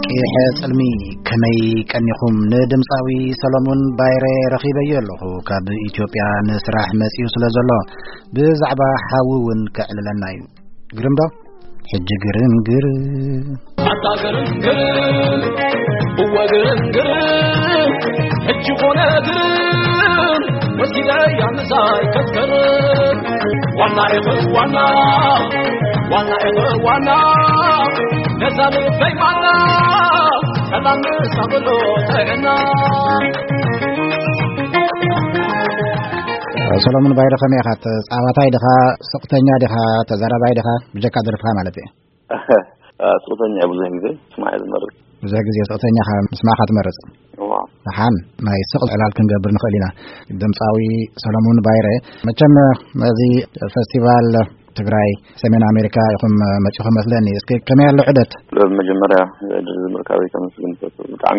ቂሐ ጽልሚ፣ ከመይ ቀኒኹም? ንድምጻዊ ሰሎሙን ባይረ ረኺበዮ ኣለኹ። ካብ ኢትዮጵያ ንስራሕ መጺኡ ስለ ዘሎ፣ ብዛዕባ ሓዊ እውን ከዕልለና እዩ። ግርም ዶ? ሕጂ ግርም ግርም። ኣታ ግርም ግርም፣ እወ ግርም ግርም፣ ሕጂ ኮነ ግርም፣ ወሲደ ያምሳይ ከትከርም። ዋና ኢኹ ዋና፣ ዋና ኢኹ ዋና፣ ነዛ ልበይ ማና፣ ሰላም ንሳ ብሎ ጥዕና። ሰሎሙን ባይረ፣ ከመይ ኢኻ? ተጻዋታይ ዲኻ? ስቕተኛ ዲኻ? ተዛራባይ ዲኻ? ብጀካ ደርፍኻ ማለት እዩ። ስቕተኛ እየ፣ ብዙሕ ግዜ ስማዕ እየ ዝመርጽ። ብዙሕ ግዜ ስቕተኛ ኢኻ፣ ምስማዕኻ ትመርጽ። እዋ። ደሓን ናይ ስቕ ዕላል ክንገብር ንኽእል ኢና። ድምጻዊ ሰሎሙን ባይረ፣ መቸም ነዚ ፈስቲቫል ትግራይ ሰሜን ኣሜሪካ ኢኹም መጺኹም መስለኒ። እስኪ ከመይ ኣሎ ዑደት? መጀመርያ ዕድል ምርካበይ ከመስግን እፈቱ። ብጣዕሚ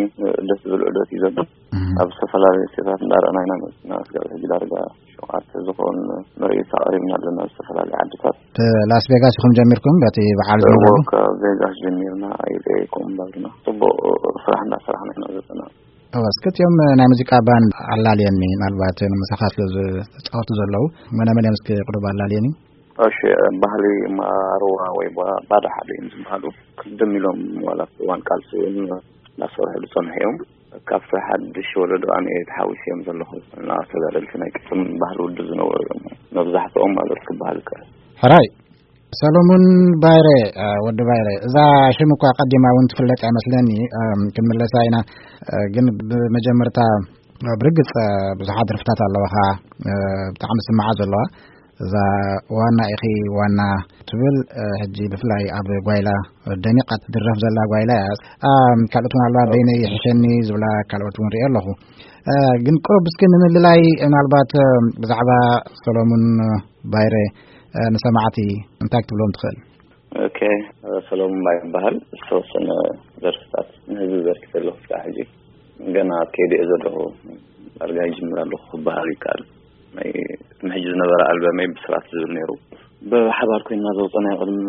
ደስ ዝብል ዑደት እዩ ዘሎ። እህ። ኣብ ዝተፈላለዩ ስቴታት እንዳረኣና ኢና መጺና። ስጋብ ሕጂ ዳርጋ ሸውዓተ ዝኾን ምርኢት ኣቕሪብና ኣለና ኣብ ዝተፈላለዩ ዓድታት። እቲ ላስ ቬጋስ ኢኹም ጀሚርኩም በቲ በዓል እዎ፣ ዝነበሩ? ካብ ቬጋስ ጀሚርና ኣይለየኩም ባርና ጽቡቕ ስራሕ እንዳሰራሕና ኢና ዘለና። እወ፣ እስኪ እቲኦም ናይ ሙዚቃ ባንድ ኣላልየኒ፣ ምናልባት ንምሳኻ ስለ ዝጻወቱ ዘለዉ፣ መነ መን እዮም እስኪ ቅሩብ ኣላልየኒ? እሺ፣ ባህሊ ማርዋ ወይ ባ-፣ ባዳ ሓደ እዮም ዝበሃሉ። ቅድም ኢሎም ዋላ እዋን ቃልሲ እውን እናሰርሑ ዝጸንሑ እዮም። ካብቲ ሓድሽ ወለዶ ኣነ ተሓዊሰ እዮም ዘለኹ። እና ተጋደልቲ ናይ ቅድም ባህሊ ውድብ ዝነበሩ እዮም። መብዛሕትኦም ማለት ክበሃል ይከኣል። ሕራይ፣ ሰሎሙን ባይረ፣ እ፣ ወዲ ባይረ፣ እዛ ሽም እኳ ቀዲማ እውን ትፍለጥ ኣይመስለኒ፣ እም፣ ክንምለሳ ኢና። እ፣ ግን ብመጀመርታ፣ እ፣ ብርግጽ፣ እ፣ ብዙሓት ደርፍታት ኣለዋኻ፣ እ፣ ብጣዕሚ ስምዓ ዘለዋ። እዛ ዋና ኢኺ ዋና ትብል፣ እ፣ ሕጂ ብፍላይ ኣብ ጓይላ ደሚቓ ትድረፍ ዘላ ጓይላ እያ። እ፣ ካልኦት እውን ኣለዋ፣ በይነይ ይሕሸኒ ዝብላ ካልኦት እውን ሪኤ ኣለኹ። እ፣ ግን ቁሩብ እስኪ ንምልላይ ምናልባት፣ እ፣ ብዛዕባ ሰሎሙን ባይረ፣ እ፣ ንሰማዕቲ እንታይ ክትብሎም ትኽእል? ኦኬ፣ ሰሎሙን ባይረ ይበሃል። ዝተወሰነ ደርፍታት ንህዝቢ በርኪተ ኣለኹ ክሳዕ ሕጂ። ገና ኣብ ከይዲ እየ ዘለኹ። ዳርጋ ይጅምር ኣለኹ ክበሃል ይከኣል። ናይ ቅድሚ ሕጂ ዝነበረ ኣልበመይ ብስራት ዝብል ነይሩ። ብሓባር ኮይንና ዘውፀናዮ ቅድሚ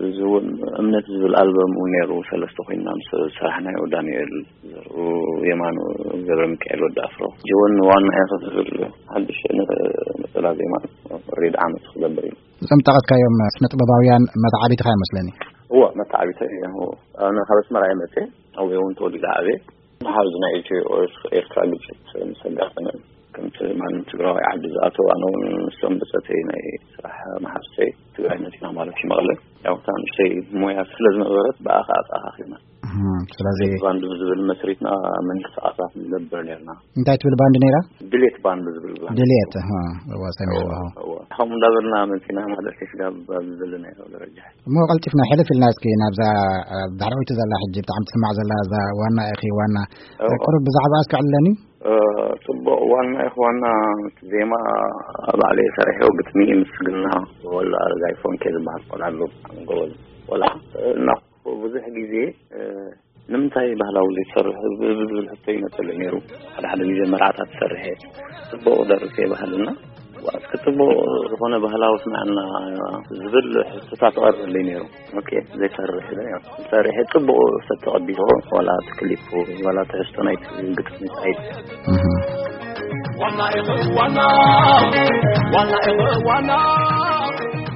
እዚ እውን እምነት ዝብል ኣልበም እውን ነይሩ። ሰለስተ ኮይንና ምስ ዝሰራሕናዮ ዳንኤል ዘርኡ፣ የማኑ ገብረ ሚካኤል፣ ወዲ ኣፍሮ። ጅወን ዋና ኢኺ ዝብል ሓድሽ ነ-፣ ነጸላ ዜማ ሪድ ዓመት ክገብር እዩ። እዞም ጠቐስካዮም ስነ ጥበባውያን መተዓቢትኻ ይመስለኒ። እዎ፣ መተዓቢተይ እዮም። እዎ። ኣነ ካብ ኣስመራ እየ መፅየ። ኣብኡ እውን ተወሊደ ዓብየ። መሓዝ ናይ ኢትዮ ኤርትራ ግጭት ምስ ኣጋጠመ፣ ከምቲ ማንም ትግራዋይ ዓዲ ዝኣተው፣ ኣነ እውን ምስቶም ብፀተይ ናይ ስራሕ መሓዝተይ ትግራይ መፂና ማለት እዩ መቐለ። ያው እታ ንእሽተይ ሞያ ስለ ዝነበረት ብኣኻ ኣተኣኻኺብና። እህ፣ ስለዚ ባንድ ብዝብል መስሪትና ምንቅስቓሳት ንገብር ነርና። እንታይ ትብል ባንድ ነይራ? ድሌት ባንድ ዝብል ባንድ። ድሌት፣ እህ፣ እዋ፣ ሰሚዐ ኣለኹ። እዋ፣ እዋ። ከምኡ እንዳበልና መፂና ማለት እዩ፣ ስጋብ ኣብዚ ዘለናዮ ደረጃ። እሞ ቀልጢፍና ሕልፍ ኢልና እስኪ ናብዛ፣ እ፣ ዳሕረወይቲ ዘላ ሕጂ ብጣዕሚ ትስማዕ ዘላ እዛ ዋና ኢኺ ዋና። እዋ። ቁሩብ ብዛዕባ እስኪ ዕልለኒ። እ፣ ጽቡቕ። ዋና ኢኺ ዋና ዜማ ባዕለይ ሰሪሐዮ፣ ግጥሚ ምስግና ወላ ኣረጋይ ፎንኬ ዝበሃል ቆልዓ ኣሎ፣ ብጣዕሚ ጎበዝ ቆልዓ። እና ብዙሕ ግዜ፣ እ፣ ንምንታይ ባህላዊ ዘይትሰርሕ ብ-፣ ብዝብል ሕቶ ይመጸለይ ነይሩ። ሓደ ሓደ ግዜ መርዓታት ትሰርሕ እየ፣ ጽቡቕ ደርፍ እየ በሃልና፣ ዋ፣ እስኪ ጽቡቕ ዝኾነ ባህላዊ ስምዐና ዝብል ሕቶታት ትቐርበለይ ነይሩ። ኦኬ፣ ዘይሰርሕ ኢለ፣ ያው፣ ሰርሐ ጽቡቕ ሰብ ተቐቢልዎ፣ ዋላ እቲ ክሊፕ፣ ዋላ ትሕዝቶ ናይቲ ግጥሚ፣ ናይቲ እህ። ዋና ኢኹ ዋና፣ ዋና ኢኹ ዋና፣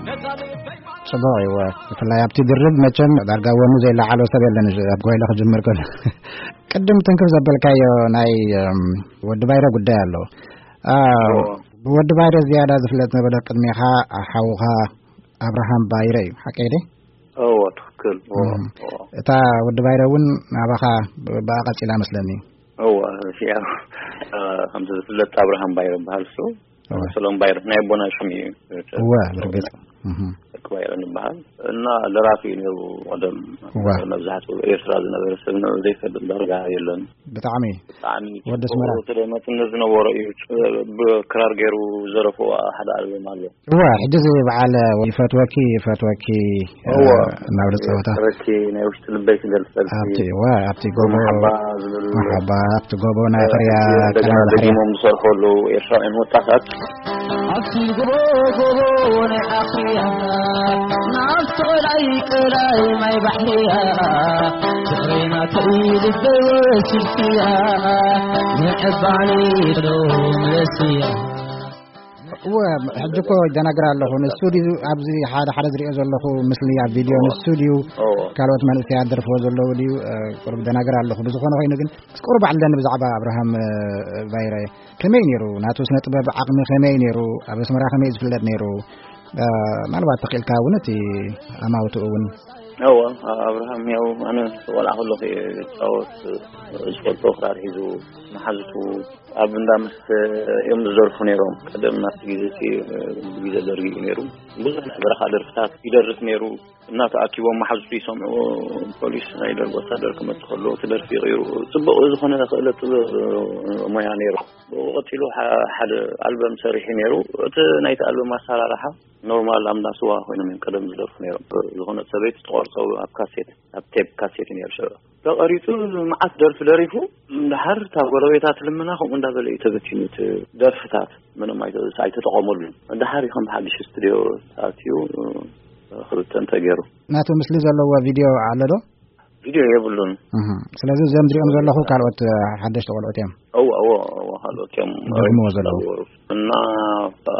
ነዛ ልበይ ጽቡቕ እዩ። ብፍላይ ኣብቲ ድርብ መቸም ዳርጋ ወኑ ዘይለዓሎ ሰብ የለን፣ ኣብ ጓይላ ክጅምር ከሎ። ቅድም ትንክፍ ዘበልካዮ ናይ፣ እም፣ ወዲ ባይረ ጉዳይ ኣሎ። አ፣ እዎ። ብወዲ ባይረ ዝያዳ ዝፍለጥ ነበረ ቅድሜኻ ሓውኻ ኣብርሃም ባይረ እዩ፣ ሓቀይ ደ? እዎ፣ ትኽክል። እዎ፣ እም። እዎ። እታ ወዲ ባይረ እውን ናባኻ ብ-፣ ብኣ ቀጺላ መስለኒ። እዎ፣ ያው፣ እ፣ ከምቲ ዝፍለጥ ኣብርሃም ባይረ ይበሃል እሱ። እወ። ሰሎም ባይረ ናይ ኣቦና ሽም እዩ። እወ፣ ብርግጽ። እህ። ክባይረ ይበሃል እና ደራፊ እዩ ነይሩ። ቀደም ዋ። መብዛሕትኡ ኤርትራ ዝነበረ ሰብ ነ-፣ ዘይፈልጥ ዳርጋ የለን። ብጣዕሚ ብጣዕሚ ወዲ ኣስመራ። ጽቡቕ፣ እቲ መጽነት ዝነበሮ እዩ። ብ-፣ ብክራር ገይሩ ዘረፎ ሓደ ኣልበም ኣሎ። እዋ፣ ሕጂ እዚ በዓል ይፈትወኪ፣ ይፈትወኪ፣ እዋ። ናብ ጸወታ። ይፈትወኪ፣ ናይ ውሽጢ ልበይ ክገልጸልኪ። ኣብቲ፣ እዋ፣ ኣብቲ ጎቦ፣ መሓባ ዝብሉ። መሓባ፣ ኣብቲ ጎቦ ናይ እ፣ ክርያ፣ እንደገና ቀዳማይ ባሕሪ። ደጊሞም ዝሰርሑ ኣለዉ ኤርትራውያን ወጣታት። ኣብቲ ጎቦ፣ ጎቦ ናይ ኣኽርያ፣ ናብቲ ቀላይ፣ ቀላይ ማይ ባሕርያ፣ ፍቕረይ ናተይ ልበይ ወሲድክያ፣ ንዕባኒ ዶ መለስያ። እወ፣ ሕጂ እኮ ይደናግር ኣለኹ። ንሱ ድዩ ኣብዚ ሓደ ሓደ ዝሪኦ ዘለኹ ምስሊ ኣብ ቪድዮ፣ እወ። ንሱ ድዩ እወ። ካልኦት መንእሰያት ደርፍዎ ዘለዉ ድዩ? እ፣ ቁሩብ ደናግር ኣለኹ። ብዝኾነ ኮይኑ ግን፣ እስኪ ቁሩብ ኣዕልለኒ ብዛዕባ ኣብርሃም፣ እ፣ ባይረ። ከመይ ነይሩ? ናቱ ስነ ጥበብ ዓቕሚ ከመይ ነይሩ? ኣብ ኣስመራ ከመይ ዝፍለጥ ነይሩ? እ፣ ምናልባት ተኽኢልካ እውን እቲ ኣማውትኡ እውን። እወ፣ ኣብርሃም ያው ኣነ ቆልዓ ከለኹ እየ ዝጻወት፣ ዝፈልጦ ክራር ሒዙ፣ መሓዙቱ ኣብ እንዳ መስተ እዮም ዝደርፉ ነይሮም። ቀደም ናብቲ ግዜ እቲ፣ ግዜ ደርጊ እዩ ነይሩ። ብዙሕ ናይ በረኻ ደርፍታት ይደርፍ ነይሩ። እናተኣኪቦም መሓዙቱ ይሰምዑ፣ ፖሊስ ናይ ደርጊ ወታደር ክመጽእ ከሎ እቲ ደርፊ ይቕይሩ። ጽቡቕ ዝኾነ ክእለት ጥበብ ሞያ ነይሩ። ብኡ ቀጺሉ ሓ-፣ ሓደ ኣልበም ሰሪሑ ነይሩ። እቲ ናይቲ ኣልበም ኣሰራርሓ ኖርማል ኣብ እንዳ ስዋ ኮይኖም እዮም ቀደም ዝደርፉ ነይሮም። ዝኾነ ሰበይቲ ትቆርጾ ኣብ ካሴት፣ ኣብ ቴፕ ካሴት እዩ ነይሩ ሽዑ። ተቐሪጹ መዓት ደርፊ ደሪፉ፣ እንድሓር እታ ጎረቤታ ትልምና ከምኡ እንዳበለ እዩ ተበቲኑ እቲ ደርፍታት። ምንም ኣይተ-፣ ኣይተጠቐመሉን። እንድሓር እዩ ከም ብሓድሽ ስቱድዮ ተኣትዩ፣ ክብተን ተገይሩ። ናቱ ምስሊ ዘለዎ ቪድዮ ኣሎ ዶ? ቪድዮ የብሉን። እህ፣ ስለዚ እዞም ዝሪኦም ዘለኹ ካልኦት፣ እ፣ ሓደሽቲ ቆልዑት እዮም። እወ፣ እወ፣ እወ፣ ካልኦት እዮም። ዝደግምዎ ዘለዉ። እና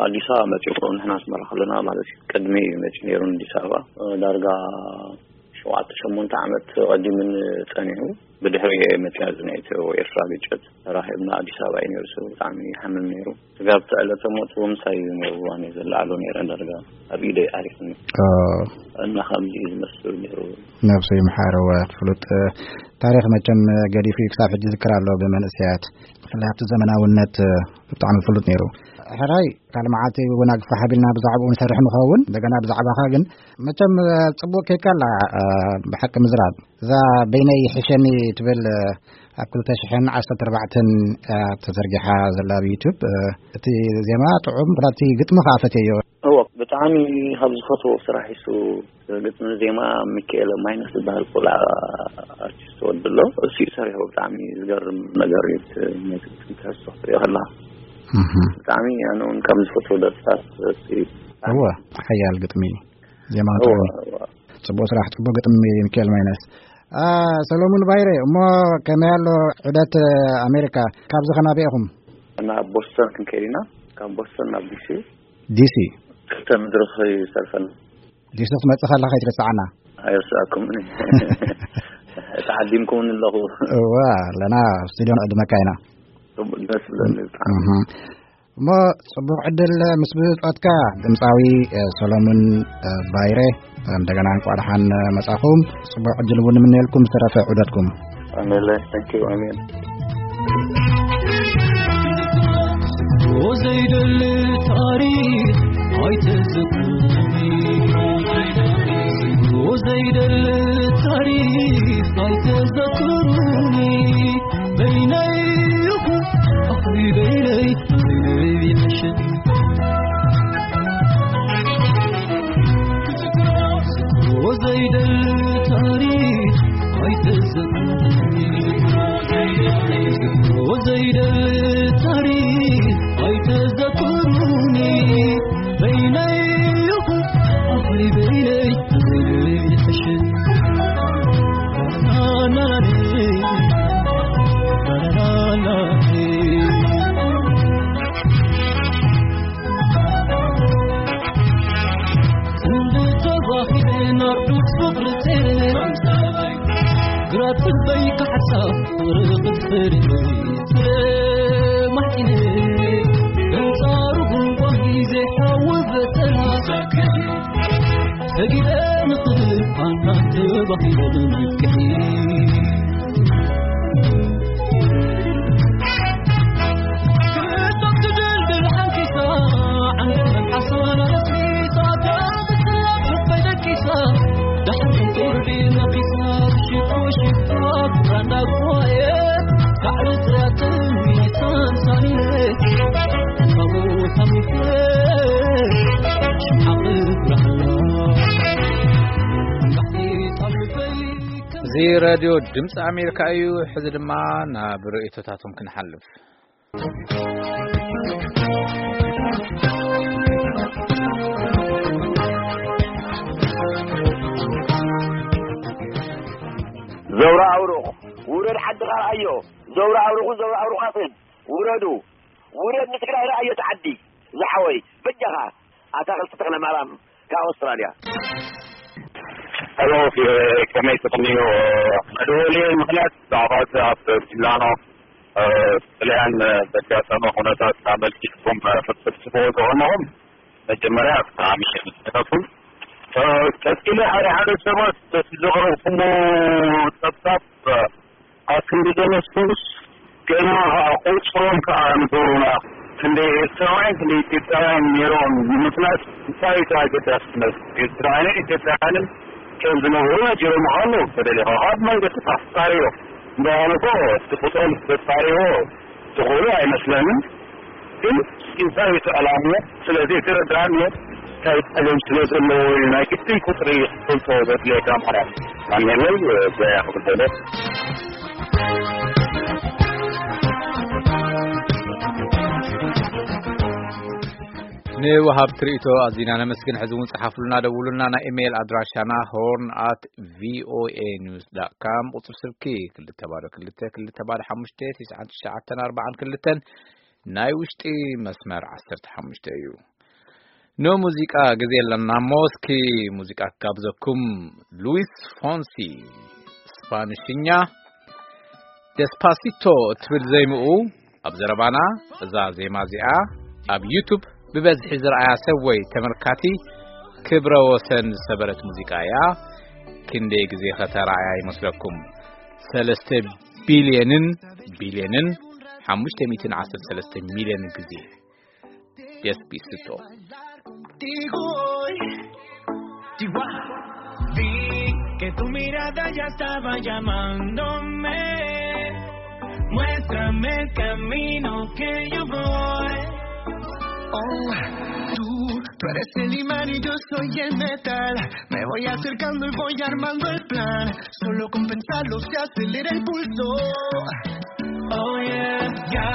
ኣዲስ ኣበባ መጺኡ ንሕና ኣስመራ ከለና ማለት እዩ። ቅድሚ መጺኡ ነይሩ ንኣዲስ ኣበባ። እ፣ ዳርጋ ሸውዓተ ሸሞንተ ዓመት ቀዲሙን ጸኒሑ። ብድሕሪ መጺኣ እዚ ናይ ኢትዮ ኤርትራ ግጭት ተራኺብና ኣዲስ ኣበባ እዩ ነይሩ። ሰብ ብጣዕሚ ይሓምም ነይሩ። ስጋብ እቲ ዕለተ ሞት እውን ምሳይ እዩ ነይሩ። እዋን እየ ዘለዓሎ ነይረ ዳርጋ ኣብ ኢደይ ዓሪፍኒ። ኦ። እና ከምዚ እዩ ዝመስል ነይሩ። ነብሱ ይምሓር። እወ፣ ፍሉጥ፣ እ፣ ታሪኽ መቸም፣ እ፣ ገዲፉ እዩ ክሳብ ሕጂ ዝዝክር ኣሎ ብመንእሰያት። ብፍላይ ኣብቲ ዘመናውነት፣ እ፣ ብጣዕሚ ፍሉጥ ነይሩ። ሕራይ ካልእ መዓልቲ እውን ኣግፋሕ ኣቢልና ብዛዕባኡ ንሰርሕ ንኸውን። እንደገና ብዛዕባኻ ግን መቸም፣ እ፣ ጽቡቕ ኬካ ኣላ፣ እ፣ ብሓቂ ምዝራብ። እዛ በይነይ ይሕሸኒ ትብል፣ እ፣ ኣብ ክልተ ሽሕን ዓሰርተ ኣርባዕተን፣ እ፣ ተዘርጊሓ ዘላ ኣብ ዩቱብ፣ እ፣ እቲ ዜማ ጥዑም፣ እቲ ግጥሚ ከኣ ፈትየዮ። እወ፣ ብጣዕሚ ካብ ዝፈትዎ ስራሕ እሱ ግጥሚ ዜማ ሚካኤል ማይነስ ዝበሃል ቆልዓ ኣርቲስት ወዲ ኣሎ። እሱ እዩ ሰሪሑ። ብጣዕሚ ዝገርም ነገር እዩ። እቲ ናይ ግጥሚ ትሕዝቶ ክትሪኦ ከለኻ። እህ። ብጣዕሚ ኣነ እውን ካብ ዝፈትዎ ደርፍታት እሱ እዩ። እወ፣ ሓያል ግጥሚ እዩ። ዜማ እወ፣ ጥዑም። እወ። ጽቡቕ ስራሕ፣ ጽቡቕ ግጥሚ ሚካኤል ማይነስ። አ፣ ሰሎሙን ባይረ፣ እሞ ከመይ ኣሎ ዑደት ኣሜሪካ? ካብዚ ኸናበይ ኢኹም? እና ቦስተን ክንከይድ ኢና። ካብ ቦስተን ናብ ዲሲ። ዲሲ? ክልተ መድረኽ ይሰርፈና። ዲሲ ክትመጽእ ከለኻ ከይትረስዓና። ኣይረስዓኩምን። ተዓዲምኩምን ኣለኹ። እዋ፣ ኣለና፣ ኣብ ስቱድዮ ንዕድመካ ኢና። ጽቡቕ ደስ ይብለኒ ብጣዕሚ። እህ። እሞ ጽቡቕ ዕድል ምስ ብጾትካ ድምጻዊ፣ እ፣ ሰሎሙን፣ እ፣ ባይረ፣ እንደገና እንቋዕ ደሓን መጻኹም። ጽቡቕ ዕድል እውን ንምነየልኩም ዝተረፈ ዑደትኩም። ኣሜን። Thank you። ኣሜን። ዘይደሊ ታሪኽ ኣይተዘክሩኒ። ዘይደሊ ታሪኽ ኣይተዘክሩኒ። በይነይ ይኹን ኣኽሊ በይነይ፣ በይነይ ይሕሸኒ። ዘይደሊ ታሪኽ ኣይተዘክሩኒ። ዘይደሊ ታሪኽ ኣይተዘክሩኒ። በይነይ ይኹን ኣኽሊ በይነይ፣ በይነይ ይሕሸኒ። ሳቆየ ካዕሪ ጥራጥም ይሳንሳንየ ካብኡ ተሚፈ ሽሓቕ ብራህሎ ባሕቲ ታልፈይ እዚ ራድዮ ድምፂ ኣሜሪካ እዩ። ሕዚ ድማ ናብ ርእይቶታቶም ክንሓልፍ። ዘውራ ኣውሩቕ ውረድ፣ ሓድኻ ረኣዮ። ዘውራ ኣውሩቑን ዘውራ ኣውሩቓትን ውረዱ። ውረድ፣ ንትግራይ ረኣዮ፣ እቲ ዓዲ ዝሓወይ። በጃኻ ኣታኽልቲ ተኽለ ማርያም ካብ ኣውስትራልያ። ሄሎ፣ ከመይ ትቕንዩ? መደወሊ ምኽንያት ብዛዕባ እቲ ኣብ ሚላኖ፣ እ፣ ጥልያን ዘጋጠመ ኩነታት ኣመልኪትኩም፣ እ፣ ክትጽሕፍዎ ዝቐነኹም መጀመርያ ብጣዕሚ የመስግነኩም። እ፣ ቀጺለ ሓደ ሓደ ሰባት በቲ ዘቕረብኩሞ ጸብጻብ፣ እ፣ ኣብ ክንዲ ዘመስግኑስ ገና ቁጽሮም ከኣ ንገሩና። ክንደይ ኤርትራውያን፣ ክንደይ ኢትዮጵያውያን ነይሮም ንምፍላጥ እንታይ እዩ ኣገዳስነት? ኤርትራውያንን ኢትዮጵያውያንን ከም ዝነበሩ ነጊሮምኻ ኣለዉ። ተደሊኻ ካብ መንገዲ ተጻርዮ። እምበኣር እኮ እቲ ቁጽሮም ተጻርዮ ትኽእሉ ኣይመስለንን። ግን እንታይ እዩ እቲ ዕላምኡ? ስለዚ የተረዳእንዮ እንታይ ጸገም ስለ ዘለዎ እዩ ናይ ግድን ቁጽሪ ክትፈልጦ ዘድልየካ ማለት። ኣሜን ወይ? በያ ክብል ደለ። ንወሃብቲ ርእይቶ ኣዚና ነመስግን። ሕዚ እውን ጸሓፉልና፣ ደውሉልና። ናይ ኢሜይል ኣድራሻና ሆርን ኣት ቪኦኤ ኒውስ ዳት ካም፣ ቁጽሪ ስልኪ ክልተ ባዶ ክልተ ክልተ ባዶ ሓሙሽተ ትሽዓን ትሽዓተን ኣርባዓን ክልተን፣ ናይ ውሽጢ መስመር ዓሰርተ ሓሙሽተ እዩ። ንሙዚቃ ግዜ ኣለና እሞ፣ እስኪ ሙዚቃ ክጋብዘኩም። ሉዊስ ፎንሲ፣ ስፓንሽኛ፣ ደስፓሲቶ እትብል ዜምኡ ኣብ ዘረባና። እዛ ዜማ እዚኣ ኣብ ዩቱብ ብበዝሒ ዝረኣያ ሰብ ወይ ተመልካቲ ክብረ ወሰን ዝሰበረት ሙዚቃ እያ። ክንደይ ግዜ ከተረኣያ ይመስለኩም? ሰለስተ ቢልየንን ቢልየንን ሓሙሽተ ሚእትን ዓሰርተ ሰለስተ ሚልዮን ግዜ። Despacito. Digo hoy, Chihuahua. Vi que tu mirada ya estaba llamándome. Muéstrame el camino que yo voy. Oh, tú, tú eres el imán y yo soy el metal. Me voy acercando y voy armando el plan. Solo con pensarlo se acelera el pulso. Oh yeah, ya,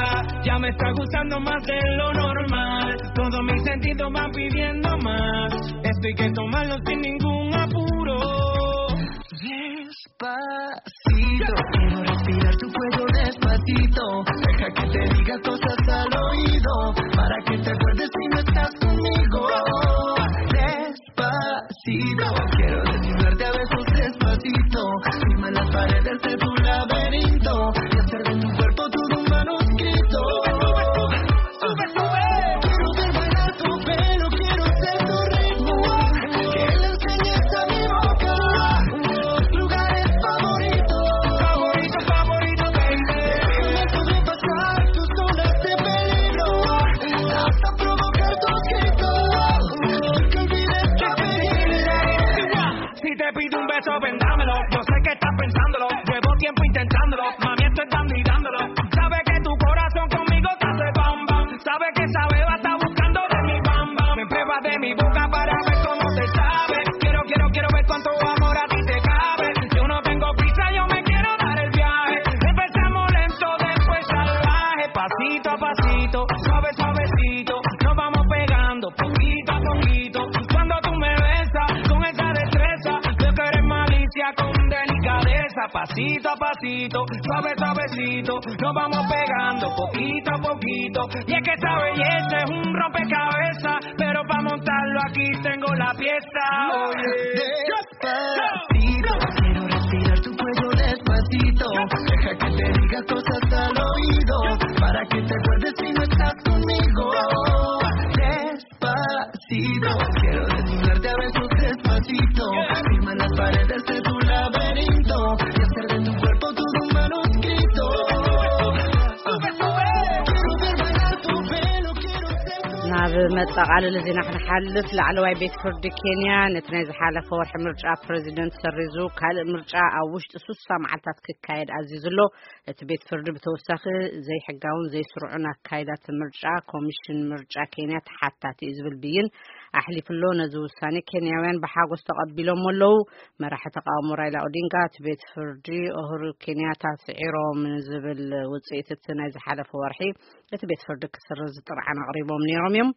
ya me está gustando más de lo normal. Todos mis sentidos van pidiendo más. Esto hay que tomarlo sin ningún apuro. Despacito, quiero respirar tu cuello despacito. Deja que te diga cosas al oído para que te acuerdes si no estás conmigo. Despacito, quiero desnudarte a besos despacito. Firma las paredes de tu laberinto y hacer de tu cuerpo todo un manuscrito. Sube, sube, sube. Quiero ver bailar tu pelo, quiero ser tu ritmo. Que le enseñes a mi boca tus lugares favoritos. Favorito, favorito, baby. Déjame sobrepasar tus zonas de peligro. Hasta provocar tus gritos. Que olvides que te... Si te pido un beso, vendámelo. Yo sé que estás pensándolo. Llevo tiempo intentándolo. Mami, esto es dando y dándolo. Sabe que tu corazón conmigo te hace bam, bam. Sabe que esa beba está buscando de mi bam, bam. Me prueba de mi boca para ver cómo te sabe. Quiero, quiero, quiero ver cuánto amor a ti te cabe. Yo no tengo prisa, yo me quiero dar el viaje. Empezamos lento, después salvaje. Pasito a pasito, suave, suavecito. Nos vamos pegando poquito a poquito. Cuando tú me besas con esa destreza, veo que eres malicia con delicadeza. Pasito a pasito, suave, suavecito. Nos vamos pegando poquito a poquito. Y es que esa belleza es un rompecabezas, pero pa' montarlo aquí tengo la pieza. Oye. Despacito, quiero respirar tu cuello despacito. Deja que te diga cosas al oído para que te acuerdes si no estás conmigo. Despacito, quiero desnudarte a besos despacito. Firma las paredes de tu laberinto y hacer de tu cuerpo todo un manuscrito. Sube, sube. Quiero ver bailar tu pelo, quiero ser tu... Na ኣብ መጠቓለሊ ዜና ክንሓልፍ፣ ላዕለዋይ ቤት ፍርዲ ኬንያ ነቲ ናይ ዝሓለፈ ወርሒ ምርጫ ፕረዚደንት ሰሪዙ፣ ካልእ ምርጫ ኣብ ውሽጢ ሱሳ መዓልታት ክካየድ ኣዚዙ ኣሎ። እቲ ቤት ፍርዲ ብተወሳኺ ዘይሕጋውን ዘይስሩዑን ኣካይዳት ምርጫ ኮሚሽን ምርጫ ኬንያ ተሓታቲ እዩ ዝብል ብይን ኣሕሊፉ ኣሎ። ነዚ ውሳኔ ኬንያውያን ብሓጎስ ተቐቢሎም ኣለዉ። መራሒ ተቃውሞ ራይላ ኦዲንጋ፣ እቲ ቤት ፍርዲ ኡሁሩ ኬንያታ ስዒሮም ዝብል ውጽኢት እቲ ናይ ዝሓለፈ ወርሒ እቲ ቤት ፍርዲ ክስርዝ ጥርዓን ኣቕሪቦም ነይሮም እዮም።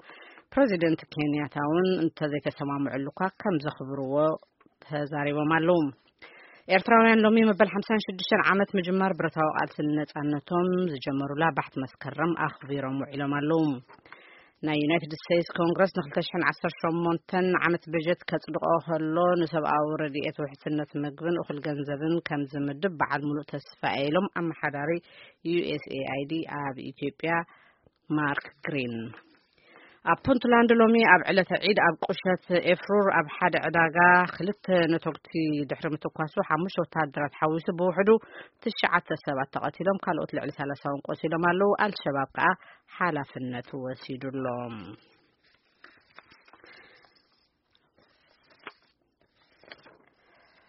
ፕረዚደንት ኬንያታ እውን እንተዘይተሰማምዑሉ እኳ ከም ዘኽብርዎ ተዛሪቦም ኣለዉ። ኤርትራውያን ሎሚ መበል ሓምሳን ሽዱሽተን ዓመት ምጅማር ብረታዊ ቃልሲ ንነጻነቶም ዝጀመሩላ ባሕቲ መስከረም ኣኽቢሮም ውዒሎም ኣለዉ። ናይ ዩናይትድ ስቴትስ ኮንግረስ ን ክልተ ሽሕን ዓሰርተ ሸሞንተን ዓመት በጀት ከጽድቆ ከሎ፣ ንሰብኣዊ ረድኤት፣ ውሕስነት ምግብን እኹል ገንዘብን ከም ዝምድብ በዓል ሙሉእ ተስፋ እየ ኢሎም ኣመሓዳሪ ዩ ኤስ ኤ ኣይ ዲ ኣብ ኢትዮጵያ ማርክ ግሪን። ኣብ ፑንትላንድ ሎሚ ኣብ ዕለተ ዒድ ኣብ ቁሸት ኤፍሩር ኣብ ሓደ ዕዳጋ ክልተ ነቶግቲ ድሕሪ ምትኳሱ፣ ሓሙሽተ ወተሃደራት ሓዊሱ ብውሕዱ ትሽዓተ ሰባት ተቐቲሎም፣ ካልኦት ልዕሊ ሰላሳ እውን ቆሲሎም ኣለዉ። ኣልሸባብ ከኣ ሓላፍነት ወሲዱ ኣሎ።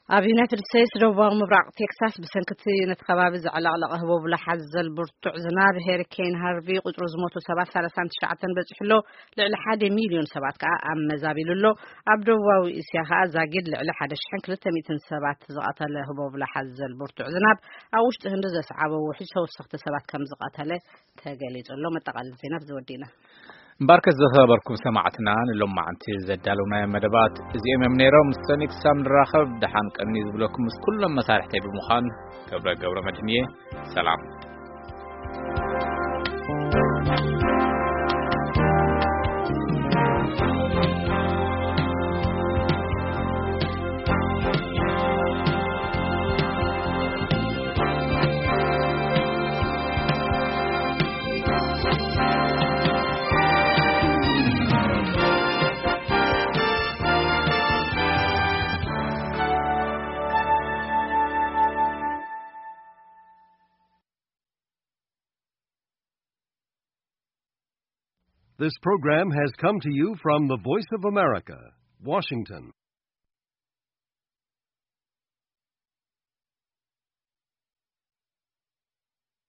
ኣብ ዩናይትድ ስቴትስ ደቡባዊ ምብራቕ ቴክሳስ፣ ብሰንኪ እቲ ነቲ ከባቢ ዘዕለቕለቐ ህቦብላ ሓዘል ብርቱዕ ዝናብ ሄሪኬን ሃርቪ፣ ቁጽሪ ዝሞቱ ሰባት ሰላሳን ትሽዓተን በጺሑ ኣሎ። ልዕሊ ሓደ ሚልዮን ሰባት ከኣ ኣመዛቢሉ ኣሎ። ኣብ ደቡባዊ እስያ ከኣ ዛጊድ ልዕሊ ሓደ ሽሕን ክልተ ሚእትን ሰባት ዝቐተለ ህቦብላ ሓዘል ብርቱዕ ዝናብ፣ ኣብ ውሽጢ ህንዲ ዘስዓቦ ውሕጅ ተወሰኽቲ ሰባት ከም ዝቐተለ ተገሊጹ ኣሎ። መጠቓለሊ ዜና ብዚ ወዲእና። እምበኣርከስ ዝኸበርኩም ሰማዕትና፣ ንሎማዓንቲ ዘዳለውናዮም መደባት እዚኦም እዮም ነይሮም። ሰኒ ክሳብ ንራኸብ፣ ደሓን ቀኒ ዝብለኩም ምስ ኩሎም መሳርሕተይ ብምዃን፣ ገብረ ገብረ መድህን እየ። ሰላም። This program has come to you from the Voice of America, Washington.